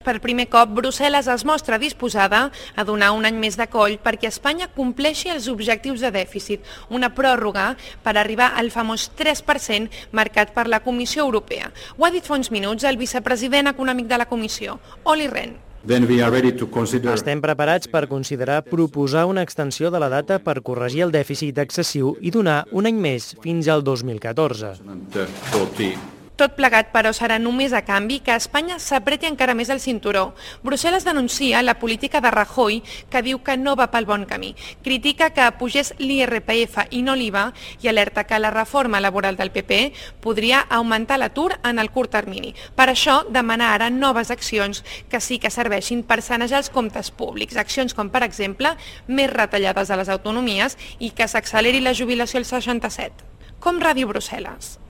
per primer cop, Brussel·les es mostra disposada a donar un any més de coll perquè Espanya compleixi els objectius de dèficit, una pròrroga per arribar al famós 3% marcat per la Comissió Europea. Ho ha dit fa uns minuts el vicepresident econòmic de la Comissió, Olli Rehn. Estem preparats per considerar proposar una extensió de la data per corregir el dèficit excessiu i donar un any més fins al 2014. Tot plegat, però, serà només a canvi que Espanya s'apreti encara més el cinturó. Brussel·les denuncia la política de Rajoy, que diu que no va pel bon camí. Critica que pugés l'IRPF i no l'IVA i alerta que la reforma laboral del PP podria augmentar l'atur en el curt termini. Per això demana ara noves accions que sí que serveixin per sanejar els comptes públics. Accions com, per exemple, més retallades a les autonomies i que s'acceleri la jubilació als 67. Com Ràdio Brussel·les.